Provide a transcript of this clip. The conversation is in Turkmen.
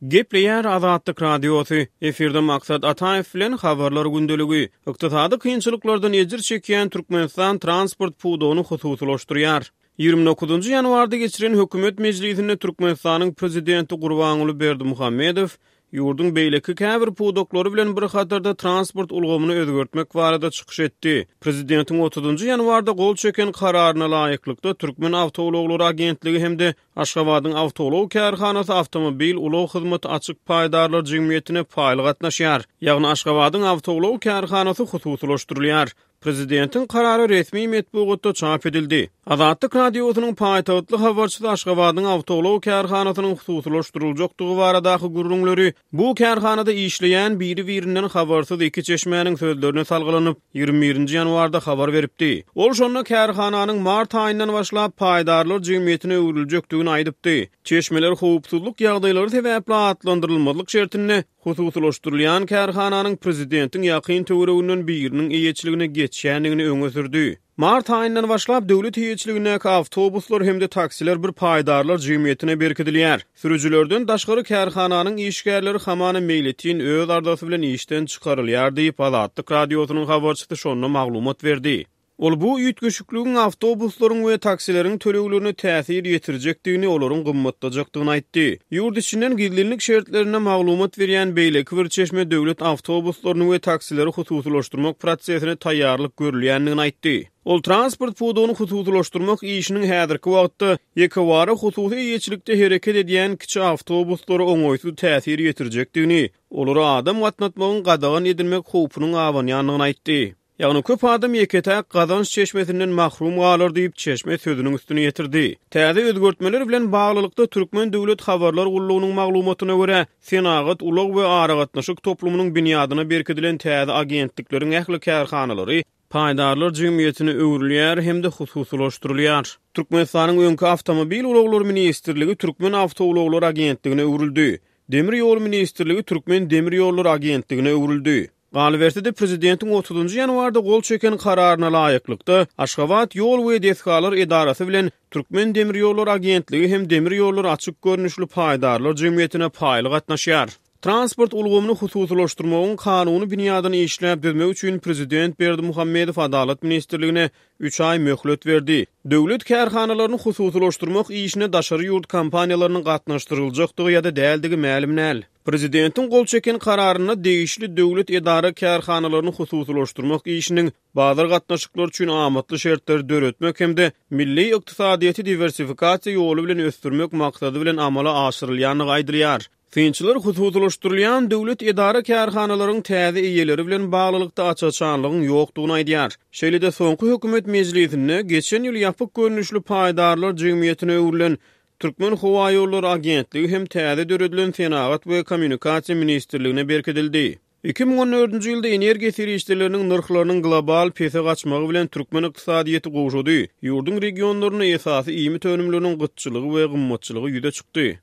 Gepleýär Azatlyk Radiosy, efirde Maksat Ataýew bilen Habarlar gündeligi. Ykdysady kynçylyklardan ejir çekýän Türkmenistan transport pudagyny hususylaşdyrýar. 29 ýanwarda geçiren hökümet mejlisinde Türkmenistanyň Prezidenti Gurbanguly Berdimuhamedow ýurduň beýleki käbir pudaklary bilen bir hatarda transport ulgamyny özgertmek barada çykyş etdi. Prezidentiň otuzynjy ýanwarda gol çeken Kararyna laýyklykda, Türkmenawtoulaglary agentligi hem-de Aşgabadyň awtoulag kärhanasy Awtomobil ulag hyzmaty açyk paýdarlar jemgyýetine paýly gatnaşýar. Ýagny Aşgabadyň awtoulag kärhanasy hususylaşdyrylýar. Prezidentiň karary resmi metbugatda çap edildi. Azatlyk Radiosynyň paýtagtly habarçysy Aşgabadyň awtoulag kärhanasynyň hususylaşdyryljakdygy baradaky gürrüňleri bu kärhanada işleýän biri-birinden habarsyz iki çeşmäniň sözlerine salgylanyp, 21-nji ýanwarda habar beripdi. Ol şonda kärhananyň mart aýyndan başlap paýdarlar jemgyýetine öwrüljekdigini aýdypdy. Çeşmeler howpsuzlyk ýagdaýlary sebäpli atlandyrylmazlyk şertinde hususylaşdyrylýan kärhananyň prezidentiň ýakyn töwereginden biriniň eýeçiligine geçýändigini öňe sürdi. Mart aýyndan başlap döwlet eýeçiligindäki awtobuslar hem-de taksiler bir paýdarlar jemgyýetine berkidilýär. Sürüjilerden daşgary kärhananyň işgärleri hamana meýletin öz arzasy bilen işden çykarylýar diýip, Azatlyk Radiosynyň habarçysy şonda maglumat berdi. Ol bu üýtgeşikligiň awtobuslaryň we taksileriň töleglerine täsir ýetirjekdigini, olaryň gymmatlajakdygyny aýtdy. Ýurt içinden gizlinlik şertlerinde maglumat berýän beýleki bir çeşme döwlet awtobuslaryny we taksileri hususylaşdyrmak prosesine taýýarlyk görülýändigini aýtdy. Ol transport pudagyny hususylaşdyrmak işiniň häzirki wagtda ýekewara hususy eýeçilikde hereket edýän kiçi awtobuslara oňaýsyz täsir ýetirjekdigini, olara adam gatnatmagyň gadagan edilmek howpunyň abanýandygyny aýtdy. Ýagny köp adam ýeke-täk gazanç çeşmesinden mahrum galar diýip, çeşme sözüniň üstüni ýetirdi. Täze özgertmeler bilen baglylykda, Türkmen döwlet habarlar gullugynyň maglumatyna görä, senagat, ulag we aragatnaşyk toplumynyň binýadyna berkidilen täze agentlikleriň ähli kärhanalary paýdarlar jemgyýetine öwrülýär hem-de hususylaşdyrylýar. Türkmenistanyň öňki Awtomobil ulaglary ministrligi Türkmen awtoulaglary agentligine öwrüldi. Demir ýol ministrligi Türkmen demir ýollary agentligine öwrüldi. Galyberse-de, prezidentiň otuzynjy ýanwarda gol çeken Kararyna laýyklykda, Aşgabat ýol we desgalar edarasy bilen Türkmendemirýollary agentligi hem Demir ýollary açyk görnüşli paýdarlar jemgyýetine paýly gatnaşýar. Transport ulgamyny hususylaşdyrmagyň kanuny binýadyny işläp düzmek üçin prezident Berdimuhamedow Adalat ministrligine üç aý möhlet berdi. Döwlet kärhanalaryny hususylaşdyrmak işine daşary ýurt kompaniýalarynyň gatnaşdyryljakdygy ýa-da däldigi mälim däl. Prezidentiň gol çeken Kararynda degişli döwlet edara-kärhanalaryny hususylaşdyrmak işiniň bazar gatnaşyklary üçin amatly şertleri döretmek hem-de milli ykdysadyýeti diwersifikasiýa ýoly bilen ösdürmek maksady bilen amala aşyrylýandygy aýdylýar. Synçylar hususylaşdyrylýan döwlet edara-kärhanalaryň täze eýeleri bilen baglylykda aç-açanlygyň ýokdugyny aýdýar. Şeýle-de soňky hökümet mejlisinde geçen ýyl ýapyk görnüşli paýdarlar jemgyýetine öwrülen Türkmenhowaýollary agentligi hem täze döredilen Senagat we kommunikasiýa ministrligine berkidildi. 2014-nji ýylda energiýa serişdeleriniň nyrhlarynyň global pese gaçmagy bilen türkmen ykdysadyýeti gowşady. Ýurduň regionlarynda esasy iýmit önümleriniň gytçylygy we gymmatçylygy ýüze çykdy.